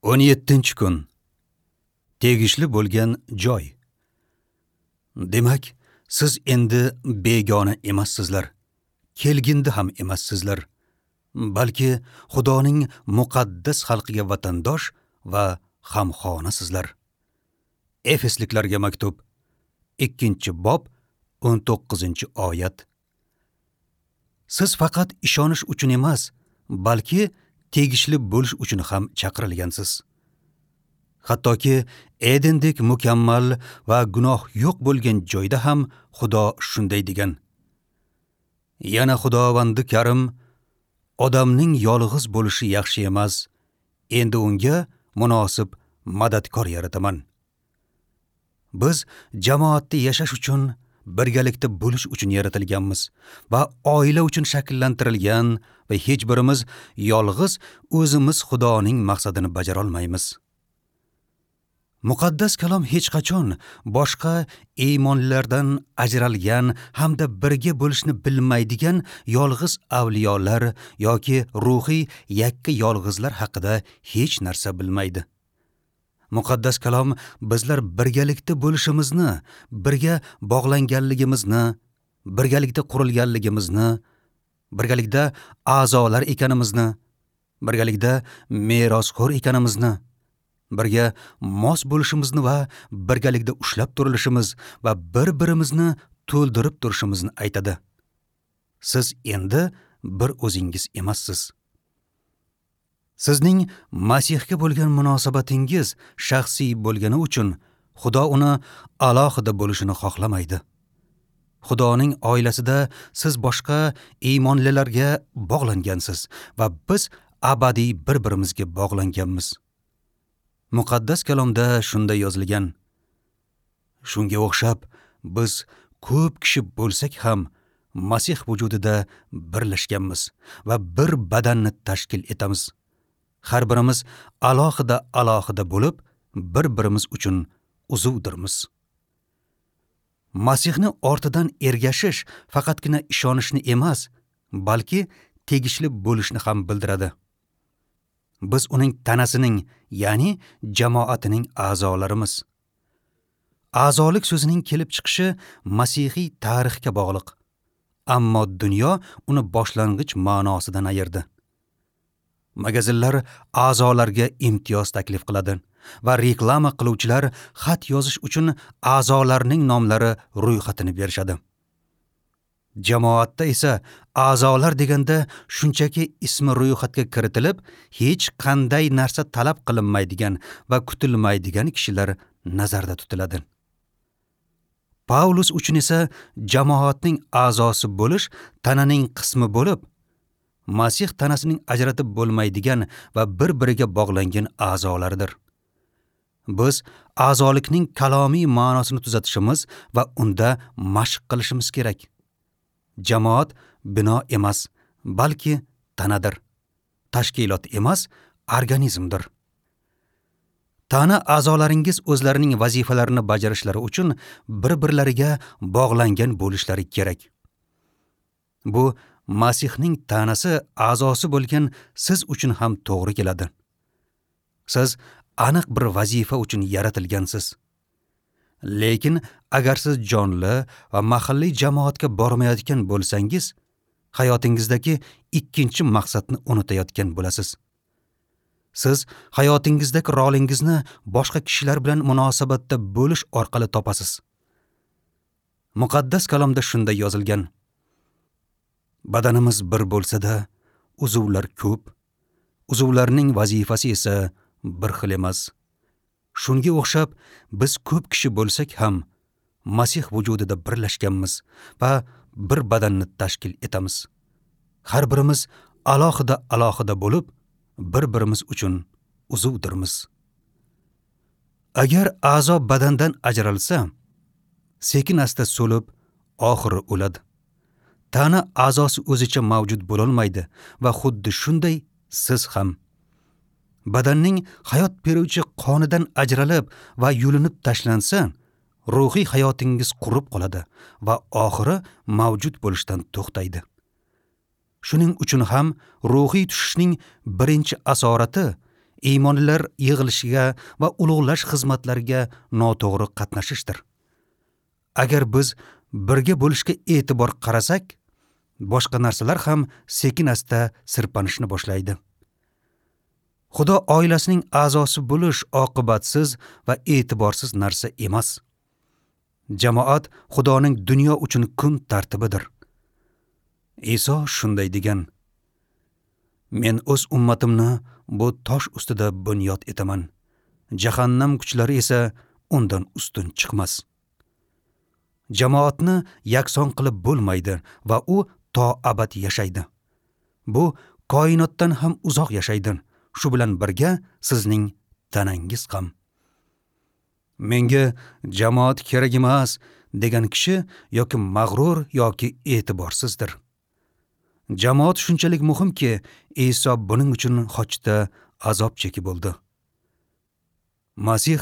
17-kun. Tegishli bo'lgan joy. Demak, siz endi begona emassizlar, kelgindi ham emassizlar, balki Xudoning muqaddas xalqiga vatandosh va hamxonasizlar. Efesliklarga maktub, 2-bob, 19-oyat. Siz faqat ishonish uchun emas, balki tegishli bo'lish uchun ham chaqirilgansiz. Hattoki Edendek mukammal va gunoh yo'q bo'lgan joyda ham Xudo shunday degan. Yana Xudovandi Karim, odamning yolg'iz bo'lishi yaxshi emas, endi unga munosib madadkor yarataman. Biz jamoatda yashash uchun, birgalikda bo'lish uchun yaratilganmiz va oila uchun shakllantirilgan va hech birimiz yolg'iz o'zimiz Xudoning maqsadini bajara olmaymiz. Muqaddas kalom hech qachon boshqa iymonlilardan ajralgan hamda birga bo'lishni bilmaydigan yolg'iz avliyolar yoki ruhiy yakka yolg'izlar haqida hech narsa bilmaydi. Muqaddas kalom bizlar birgalikda bo'lishimizni, birga bog'langanligimizni, birgalikda qurilganligimizni, birgalikda a'zolar ekanimizni, birgalikda merosxo'r ekanimizni, birga mos bo'lishimizni va birgalikda ushlab turilishimiz va bir-birimizni to'ldirib turishimizni aytadi. Siz endi bir o'zingiz emassiz. Sizning Masihga bo'lgan munosabatingiz shaxsiy bo'lgani uchun Xudo uni alohida bo'lishini xohlamaydi. Xudoning oilasida siz boshqa iymonlilarga bog'langansiz va biz abadiy bir-birimizga bog'langanmiz. Muqaddas kalomda shunday yozilgan: Shunga o'xshab biz ko'p kishi bo'lsak ham Masih vujudida birlashganmiz va bir badanni tashkil etamiz. Har birimiz alohida-alohida bo'lib, bir-birimiz uchun uzuvdirmiz. Masihni ortidan ergashish faqatgina ishonishni emas, balki tegishli bo'lishni ham bildiradi. Biz uning tanasining, ya'ni jamoatining a'zolarimiz. A'zolik so'zining kelib chiqishi masihiy tarixga bog'liq. Ammo dunyo uni boshlang'ich ma'nosidan ayirdi. Magazinlar a'zolarga imtiyoz taklif qiladi va reklama qiluvchilar xat yozish uchun a'zolarning nomlari ro'yxatini berishadi. Jamoatda esa a'zolar deganda shunchaki ismi ro'yxatga kiritilib, hech qanday narsa talab qilinmaydigan va kutilmaydigan kishilar nazarda tutiladi. Paulus uchun esa jamoatning a'zosi bo'lish tananing qismi bo'lib, Masih tanasining ajratib bo'lmaydigan va bir-biriga bog'langan a'zolaridir. Biz a'zolikning kalomiy ma'nosini tuzatishimiz va unda mashq qilishimiz kerak. Jamoat bino emas, balki tanadir. Tashkilot emas, organizmdir. Tana a'zolaringiz o'zlarining vazifalarini bajarishlari uchun bir-birlariga bog'langan bo'lishlari kerak. Bu Masihning tanasi a'zosi bo'lgan siz uchun ham to'g'ri keladi. Siz aniq bir vazifa uchun yaratilgansiz. Lekin agar siz jonli va mahalliy jamoatga bormayotgan bo'lsangiz, hayotingizdagi ikkinchi maqsadni unutayotgan bo'lasiz. Siz hayotingizdagi rolingizni boshqa kishilar bilan munosabatda bo'lish orqali topasiz. Muqaddas kalomda shunday yozilgan: Badanimiz bir bo'lsa-da, uzvlar ko'p. Uzvlarning vazifasi esa bir xil emas. Shunga o'xshab biz ko'p kishi bo'lsak ham Masih vujudida birlashganmiz va bir badanni tashkil etamiz. Har birimiz alohida-alohida bo'lib, bir-birimiz uchun uzvdirmiz. Agar a'zo badandan ajralsa, sekin-asta so'lib, oxiri o'ladi. Tana a'zosi o'zicha mavjud bo'lolmaydi va xuddi shunday siz ham. Badanning hayot beruvchi qonidan ajralib va yulinib tashlansa, ruhiy hayotingiz qurib qoladi va oxiri mavjud bo'lishdan to'xtaydi. Shuning uchun ham ruhiy tushishning birinchi asorati iymonlilar yig'ilishiga va ulug'lash xizmatlariga noto'g'ri qatnashishdir. Agar biz birga bo'lishga e'tibor qarasak, boshqa narsalar ham sekin-asta sirpanishni boshlaydi. Xudo oilasining a'zosi bo'lish oqibatsiz va e'tiborsiz narsa emas. Jamoat Xudoning dunyo uchun kun tartibidir. Iso shunday degan: Men o'z ummatimni bu tosh ustida bunyod etaman. Jahannam kuchlari esa undan ustun chiqmas. Jamoatni yakson qilib bo'lmaydi va u to abad yashaydi. Bu koinotdan ham uzoq yashaydi. Shu bilan birga sizning tanangiz ham. Menga jamoat kerak emas degan kishi yoki mag'rur yoki e'tiborsizdir. Jamoat shunchalik muhimki, Iso buning uchun xochda azob chekib bo'ldi. Masih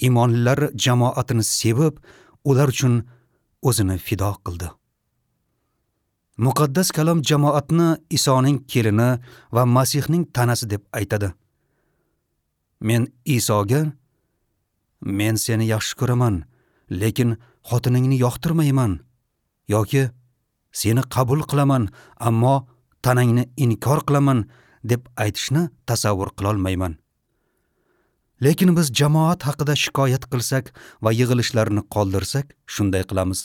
iymonlilar jamoatini sevib, ular uchun o'zini fido qildi. Muqaddas kalom jamoatni Isoning kelini va Masihning tanasi deb aytadi. Men Isoga: Men seni yaxshi ko'raman, lekin xotiningni yoqtirmayman, yoki seni qabul qilaman, ammo tanangni inkor qilaman deb aytishni tasavvur qila olmayman. Lekin biz jamoat haqida shikoyat qilsak va yig'ilishlarni qoldirsak, shunday qilamiz.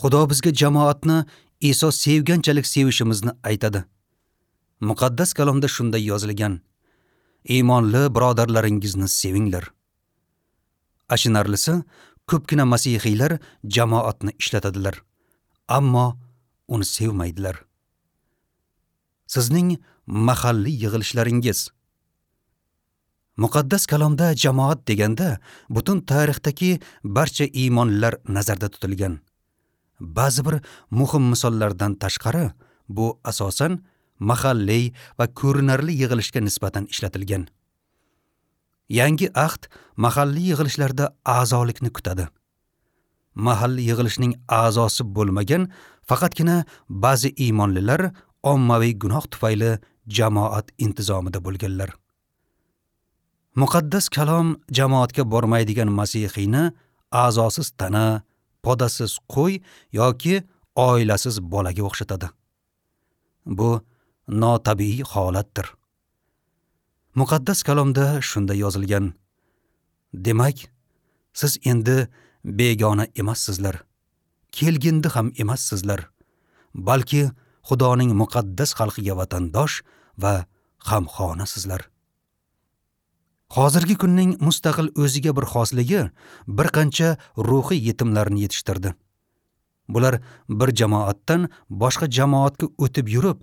Xudo bizga jamoatni Iso sevganchalik sevishimizni aytadi. Muqaddas kalomda shunday yozilgan: Iymonli birodarlaringizni sevinglar. Achinarlisi, ko'pgina masihiylar jamoatni ishlatadilar, ammo uni sevmaydilar. Sizning mahalliy yig'ilishlaringiz. Muqaddas kalomda jamoat deganda butun tarixdagi barcha iymonlilar nazarda tutilgan. Ba'zi bir muhim misollardan tashqari, bu asosan mahalliy va ko'rinarli yig'ilishga nisbatan ishlatilgan. Yangi ahd mahalliy yig'ilishlarda a'zolikni kutadi. Mahalliy yig'ilishning a'zosi bo'lmagan faqatgina ba'zi iymonlilar ommaviy gunoh tufayli jamoat intizomida bo'lganlar. Muqaddas kalom jamoatga bormaydigan masihiyni a'zosiz tana, podasiz qo'y yoki oilasiz bolaga o'xshatadi. Bu notabiiy holatdir. Muqaddas kalomda shunday yozilgan: Demak, siz endi begona emassizlar, kelgindi ham emassizlar, balki Xudoning muqaddas xalqiga vatandosh va hamxonasizlar. Hozirgi kunning mustaqil o'ziga bir xosligi bir qancha ruhiy yetimlarni yetishtirdi. Bular bir jamoatdan boshqa jamoatga o'tib yurib,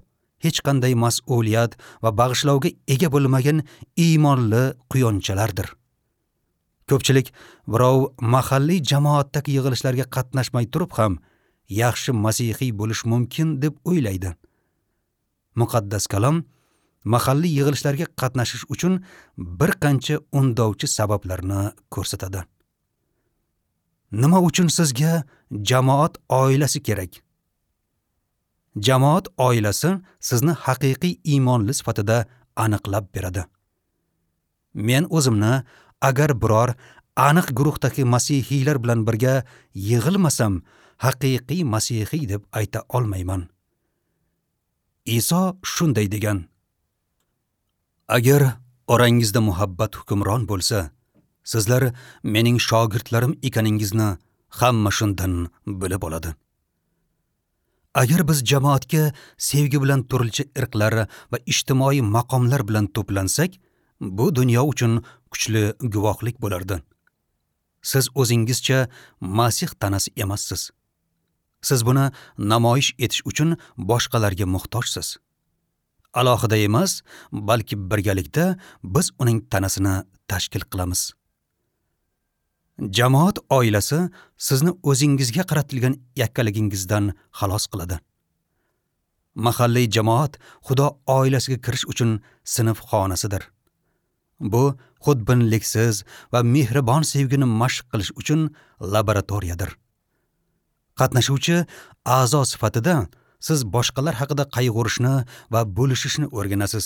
hech qanday mas'uliyat va bag'ishlovga ega bo'lmagan iymonli quyonchalardir. Ko'pchilik birov mahalliy jamoatdagi yig'ilishlarga qatnashmay turib ham yaxshi masihiy bo'lish mumkin deb o'ylaydi. Muqaddas kalom mahalliy yig'ilishlarga qatnashish uchun bir qancha undovchi sabablarni ko'rsatadi. Nima uchun sizga jamoat oilasi kerak? Jamoat oilasi sizni haqiqiy iymonli sifatida aniqlab beradi. Men o'zimni agar biror aniq guruhdagi masihiylar bilan birga yig'ilmasam, haqiqiy masihiy deb ayta olmayman. Iso shunday degan: Agar orangizda muhabbat hukmron bo'lsa, sizlar mening shogirdlarim ekaningizni hamma shundan bilib oladi. Agar biz jamoatga sevgi bilan turlicha irqlar va ijtimoiy maqomlar bilan to'plansak, bu dunyo uchun kuchli guvohlik bo'lardi. Siz o'zingizcha Masih tanasi emassiz. Siz buni namoyish etish uchun boshqalarga muhtojsiz. Alohida emas, balki birgalikda biz uning tanasini tashkil qilamiz. Jamoat oilasi sizni o'zingizga qaratilgan yakkaligingizdan xalos qiladi. Mahalliy jamoat Xudo oilasiga kirish uchun sinf xonasidir. Bu xudbinliksiz va mehribon sevgini mashq qilish uchun laboratoriyadir. Qatnashuvchi a'zo sifatida siz boshqalar haqida qayg'urishni va bo'lishishni o'rganasiz.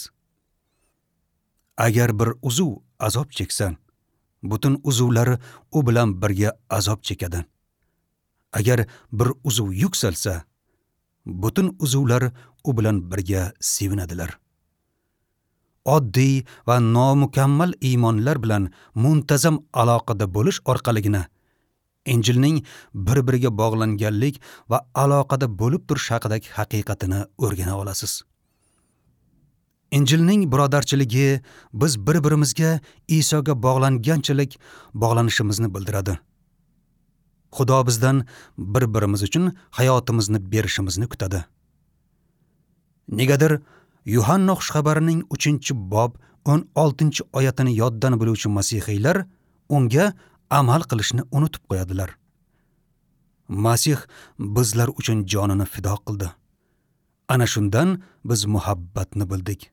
Agar bir uzuv azob cheksa, butun uzuvlar u bilan birga azob chekadi. Agar bir uzuv yuksalsa, butun uzuvlar u bilan birga sevinadilar. Oddiy va nomukammal iymonlar bilan muntazam aloqada bo'lish orqaligina Injilning bir-biriga bog'langanlik va aloqada bo'lib turish haqidagi haqiqatini o'rgana olasiz. Injilning birodarchiligi biz bir-birimizga Isoga bog'langanchalik bog'lanishimizni bildiradi. Xudo bizdan bir-birimiz uchun hayotimizni berishimizni kutadi. Negadir Yuhanna xushxabarining 3-bob 16-oyatini yoddan biluvchi masihiylar unga amal qilishni unutib qo'yadilar. Masih bizlar uchun jonini fido qildi. Ana shundan biz muhabbatni bildik.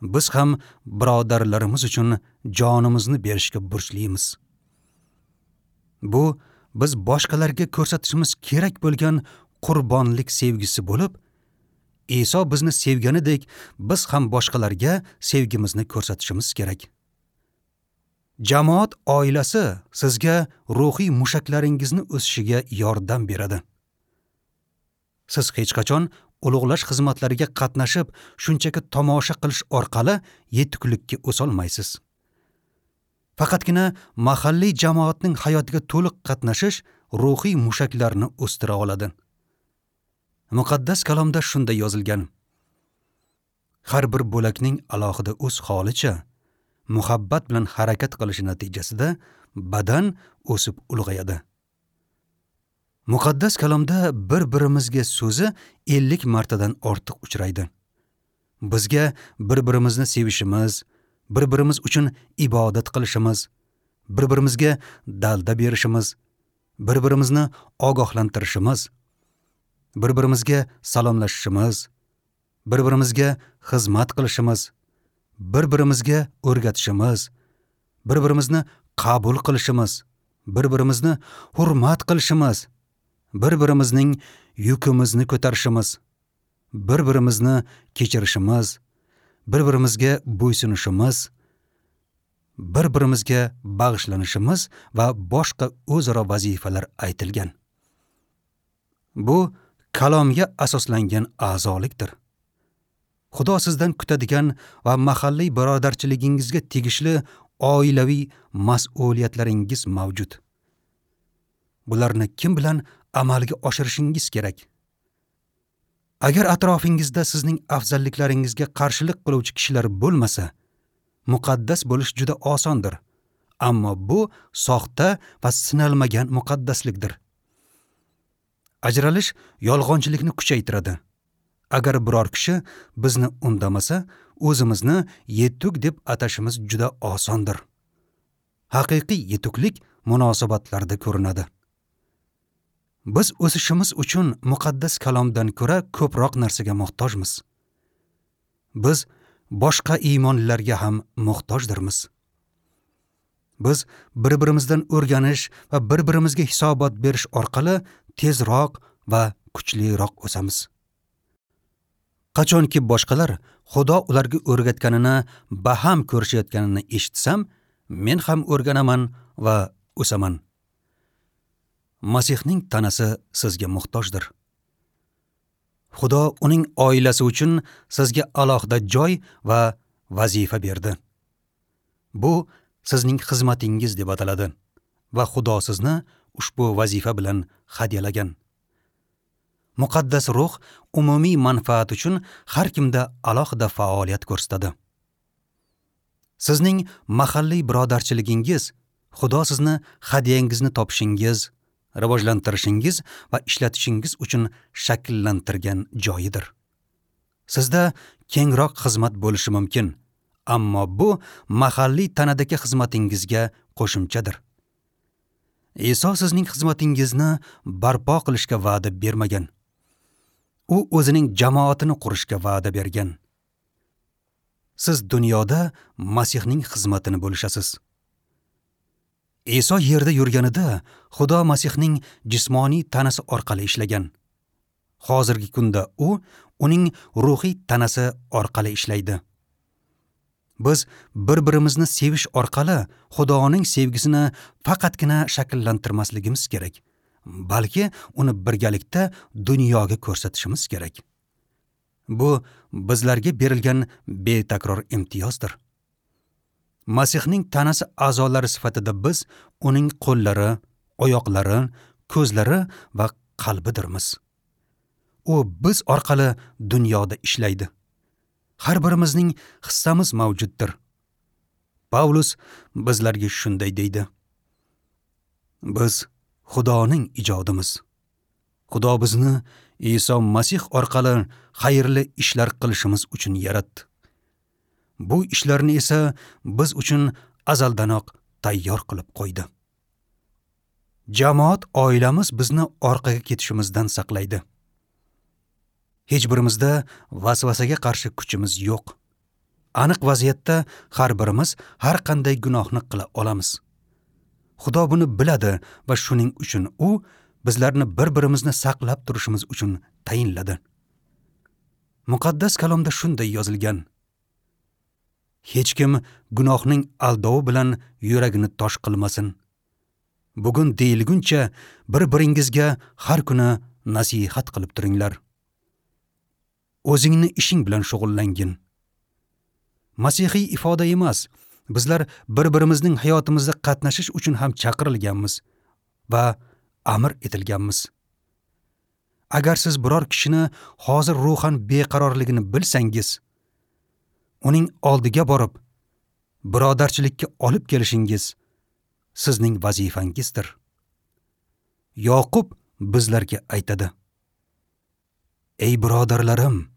Biz ham birodarlarimiz uchun jonimizni berishga burchlimiz. Bu biz boshqalarga ko'rsatishimiz kerak bo'lgan qurbonlik sevgisi bo'lib, Iso bizni sevganidek biz ham boshqalarga sevgimizni ko'rsatishimiz kerak. Jamoat oilasi sizga ruhiy mushaklaringizni o'sishiga yordam beradi. Siz hech qachon ulug'lash xizmatlariga qatnashib, shunchaki tomosha qilish orqali yetuklikka o'solmaysiz. Faqatgina mahalliy jamoatning hayotiga to'liq qatnashish ruhiy mushaklarni o'stira oladi. Muqaddas kalomda shunday yozilgan: Har bir bo'lakning alohida o'z holicha muhabbat bilan harakat qilishi natijasida badan o'sib ulg'ayadi. Muqaddas kalomda bir-birimizga so'zi 50 martadan ortiq uchraydi. Bizga bir-birimizni sevishimiz, bir-birimiz uchun ibodat qilishimiz, bir-birimizga dalda berishimiz, bir-birimizni ogohlantirishimiz, bir-birimizga salomlashishimiz, bir-birimizga xizmat qilishimiz, bir-birimizga o'rgatishimiz, bir-birimizni qabul qilishimiz, bir-birimizni hurmat qilishimiz, bir-birimizning yukimizni ko'tarishimiz, bir-birimizni kechirishimiz, bir-birimizga bo'ysunishimiz, bir-birimizga bag'ishlanishimiz va boshqa o'zaro vazifalar aytilgan. Bu kalomga asoslangan a'zolikdir. Xudo sizdan kutadigan va mahalliy birodarchiligingizga tegishli oilaviy mas'uliyatlaringiz mavjud. Bularni kim bilan amalga oshirishingiz kerak? Agar atrofingizda sizning afzalliklaringizga qarshilik qiluvchi kishilar bo'lmasa, muqaddas bo'lish juda osondir. Ammo bu soxta va sinalmagan muqaddaslikdir. Ajralish yolg'onchilikni kuchaytiradi. Agar biror kishi bizni undamasa, o'zimizni yetuk deb atashimiz juda osondir. Haqiqiy yetuklik munosabatlarda ko'rinadi. Biz o'sishimiz uchun muqaddas kalomdan ko'ra ko'proq narsaga muhtojmiz. Biz boshqa iymonlilarga ham muhtojdirmiz. Biz bir-birimizdan o'rganish va bir-birimizga hisobot berish orqali tezroq va kuchliroq o'samiz. Qachonki boshqalar Xudo ularga o'rgatganini baham ko'rishayotganini eshitsam, men ham o'rganaman va o'saman. Masihning tanasi sizga muhtojdir. Xudo uning oilasi uchun sizga alohida joy va vazifa berdi. Bu sizning xizmatingiz deb ataladi va Xudo sizni ushbu vazifa bilan hadyalagan. Muqaddas ruh umumiy manfaat uchun har kimda alohida faoliyat ko'rsatadi. Sizning mahalliy birodarchiligingiz Xudo sizni hadyangizni topishingiz, rivojlantirishingiz va ishlatishingiz uchun shakllantirgan joyidir. Sizda kengroq xizmat bo'lishi mumkin, ammo bu mahalliy tanadagi xizmatingizga qo'shimchadir. Iso sizning xizmatingizni barpo qilishga va'da bermagan. U o'zining jamoatini qurishga va'da bergan. Siz dunyoda Masihning xizmatini bo'lishasiz. Iso yerda yurganida Xudo Masihning jismoniy tanasi orqali ishlagan. Hozirgi kunda u uning ruhiy tanasi orqali ishlaydi. Biz bir-birimizni sevish orqali Xudoning sevgisini faqatgina shakllantirmasligimiz kerak, balki uni birgalikda dunyoga ko'rsatishimiz kerak. Bu bizlarga berilgan betakror imtiyozdir. Masihning tanasi a'zolari sifatida biz uning qo'llari, oyoqlari, ko'zlari va qalbidirmiz. U biz orqali dunyoda ishlaydi. Har birimizning hissamiz mavjuddir. Pavlus bizlarga shunday deydi: Biz Xudoning ijodimiz. Xudo bizni Iso Masih orqali xayrli ishlar qilishimiz uchun yaratdi. Bu ishlarni esa biz uchun azaldanoq tayyor qilib qo'ydi. Jamoat oilamiz bizni orqaga ketishimizdan saqlaydi. Hech birimizda vasvasaga qarshi kuchimiz yo'q. Aniq vaziyatda har birimiz har qanday gunohni qila olamiz. Xudo buni biladi va shuning uchun u bizlarni bir-birimizni saqlab turishimiz uchun tayinladi. Muqaddas kalomda shunday yozilgan: Hech kim gunohning aldovi bilan yuragini tosh qilmasin. Bugun deyilguncha bir-biringizga har kuni nasihat qilib turinglar. O'zingni ishing bilan shug'ullangin. Masihiy ifoda emas, bizlar bir-birimizning hayotimizda qatnashish uchun ham chaqirilganmiz va amr etilganmiz. Agar siz biror kishini hozir ruhan beqarorligini bilsangiz, uning oldiga borib, birodarchilikka olib kelishingiz sizning vazifangizdir. Yoqub bizlarga aytadi: Ey birodarlarim,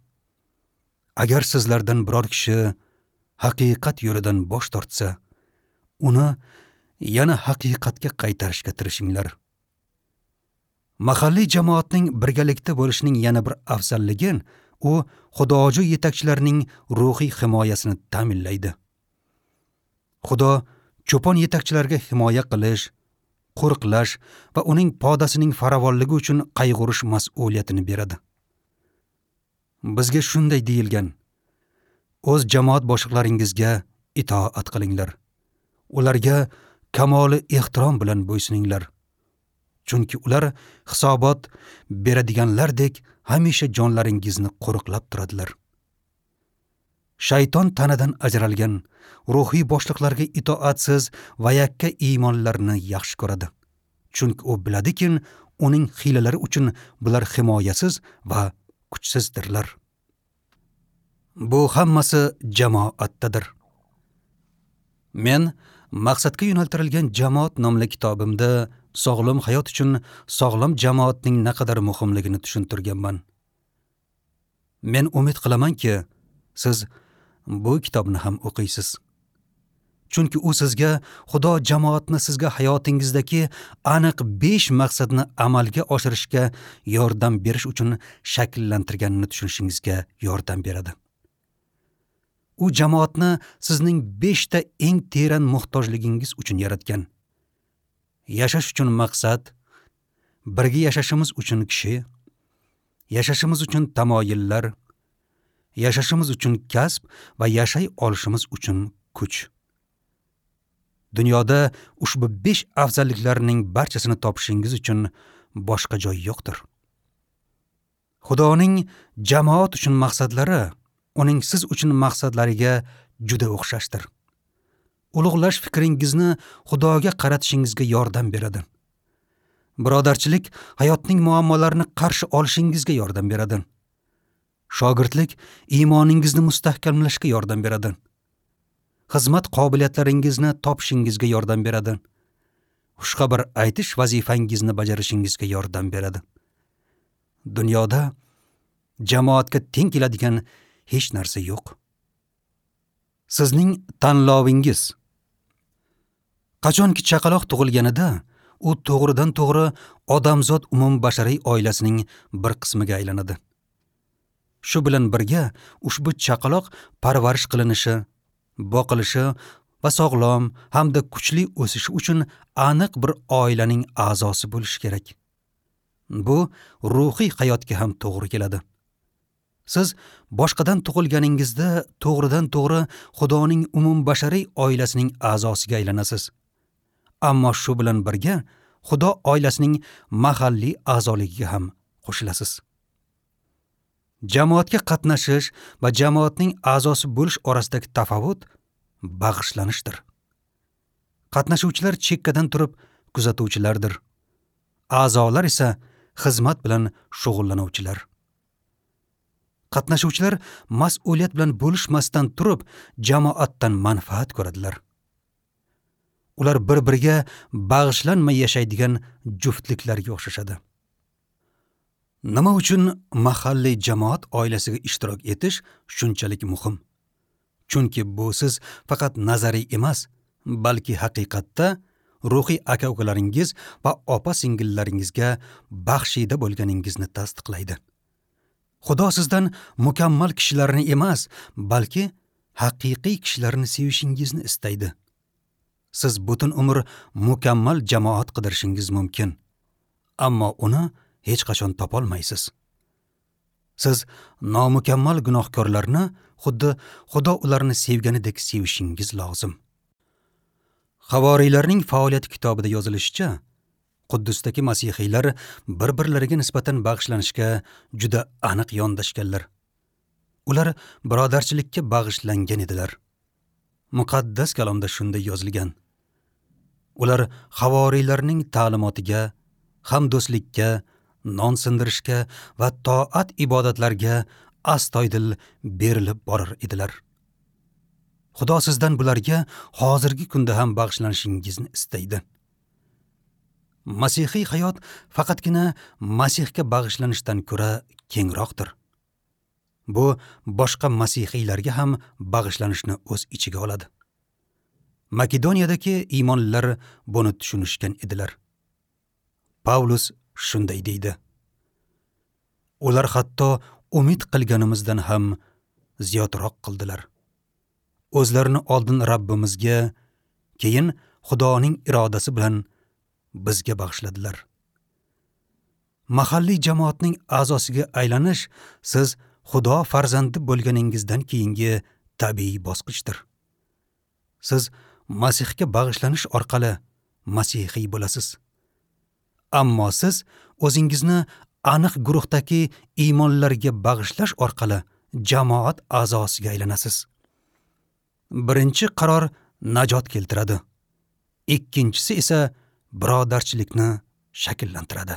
agar sizlardan biror kishi haqiqat yo'lidan bosh tortsa, uni yana haqiqatga qaytarishga tirishinglar. Mahalliy jamoatning birgalikda bo'lishining yana bir afzalligi, u xudojo'y yetakchilarning ruhiy himoyasini ta'minlaydi. Xudo cho'pon yetakchilarga himoya qilish, qo'riqlash va uning podasining farovonligi uchun qayg'urish mas'uliyatini beradi. Bizga shunday deyilgan: O'z jamoat boshliqlaringizga itoat qilinglar. Ularga kamoli ehtirom bilan bo'ysuninglar. Chunki ular hisobot beradiganlardek hamisha jonlaringizni qo'riqlab turadilar. Shayton tanadan ajralgan ruhiy boshliqlarga itoatsiz va yakka iymonlarni yaxshi ko'radi. Chunki u biladiki, uning hiylalari uchun bular himoyasiz va kuchsizdirlar. Bu hammasi jamoatdadir. Men maqsadga yo'naltirilgan jamoat nomli kitobimda sog'lom hayot uchun sog'lom jamoatning naqadar muhimligini tushuntirganman. Men umid qilamanki, siz bu kitobni ham o'qiysiz. Chunki u sizga Xudo jamoatni sizga hayotingizdagi aniq 5 maqsadni amalga oshirishga yordam berish uchun shakllantirganini tushunishingizga yordam beradi. U jamoatni sizning 5 ta eng teran muhtojligingiz uchun yaratgan. Yashash uchun maqsad, birga yashashimiz uchun kishi, yashashimiz uchun tamoyillar, yashashimiz uchun kasb va yashay olishimiz uchun kuch. Dunyoda ushbu 5 afzalliklarning barchasini topishingiz uchun boshqa joy yo'qdir. Xudoning jamoat uchun maqsadlari uning siz uchun maqsadlariga juda o'xshashdir. Ulug'lash fikringizni Xudoga qaratishingizga yordam beradi. Birodarchilik hayotning muammolarini qarshi olishingizga yordam beradi. Shogirdlik iymoningizni mustahkamlashga yordam beradi. Xizmat qobiliyatlaringizni topishingizga yordam beradi. Xushxabar aytish vazifangizni bajarishingizga yordam beradi. Dunyoda jamoatga teng keladigan hech narsa yo'q. Sizning tanlovingiz. Qachonki chaqaloq tug'ilganida, u to'g'ridan to'g'ri odamzod umumbashariy oilasining bir qismiga aylanadi. Shu bilan birga ushbu chaqaloq parvarish qilinishi, boqilishi va sog'lom hamda kuchli o'sishi uchun aniq bir oilaning a'zosi bo'lishi kerak. Bu ruhiy hayotga ham to'g'ri keladi. Siz boshqadan tug'ilganingizda to'g'ridan-to'g'ri Xudoning umumbashariy oilasining a'zosiga aylanasiz. Ammo shu bilan birga Xudo oilasining mahalliy a'zoligiga ham qo'shilasiz. Jamoatga qatnashish va jamoatning a'zosi bo'lish orasidagi tafovut bag'ishlanishdir. Qatnashuvchilar chekkadan turib kuzatuvchilardir. A'zolar esa xizmat bilan shug'ullanuvchilar. Qatnashuvchilar mas'uliyat bilan bo'lishmasdan turib jamoatdan manfaat ko'radilar. Ular bir-biriga bag'ishlanmay yashaydigan juftliklarga o'xshashadi. Nima uchun mahalliy jamoat oilasiga ishtirok etish shunchalik muhim? Chunki bu siz faqat nazariy emas, balki haqiqatda ruhiy aka-ukalaringiz va opa-singillaringizga baxshida bo'lganingizni tasdiqlaydi. Xudo sizdan mukammal kishilarni emas, balki haqiqiy kishilarni sevishingizni istaydi. Siz butun umr mukammal jamoat qidirishingiz mumkin, ammo uni hech qachon topolmaysiz. Siz nomukammal gunohkorlarni xuddi Xudo ularni sevganidek sevishingiz lozim. Havoriylarning faoliyati kitobida yozilishicha, Quddusdagi masihiylar bir-birlariga nisbatan bag'ishlanishga juda aniq yondashganlar. Ular birodarchilikka bag'ishlangan edilar. Muqaddas kalomda shunday yozilgan: Ular havoriylarning ta'limotiga, hamdo'stlikka, non sindirishga va toat ibodatlarga astoydil berilib borar edilar. Xudo sizdan bularga hozirgi kunda ham bag'ishlanishingizni istaydi. Masihiy hayot faqatgina Masihga bag'ishlanishdan ko'ra kengroqdir. Bu boshqa masihiylarga ham bag'ishlanishni o'z ichiga oladi. Makedoniyadagi iymonlilar buni tushunishgan edilar. Pavlus shunday deydi: Ular hatto umid qilganimizdan ham ziyodroq qildilar. O'zlarini oldin Rabbimizga, keyin Xudoning irodasi bilan bizga bag'ishladilar. Mahalliy jamoatning a'zosiga aylanish siz Xudo farzandi bo'lganingizdan keyingi tabiiy bosqichdir. Siz Masihga bag'ishlanish orqali masihiy bo'lasiz. Ammo siz o'zingizni aniq guruhdagi iymonlarga bag'ishlash orqali jamoat a'zosiga aylanasiz. Birinchi qaror najot keltiradi. Ikkinchisi esa birodarchilikni shakllantiradi.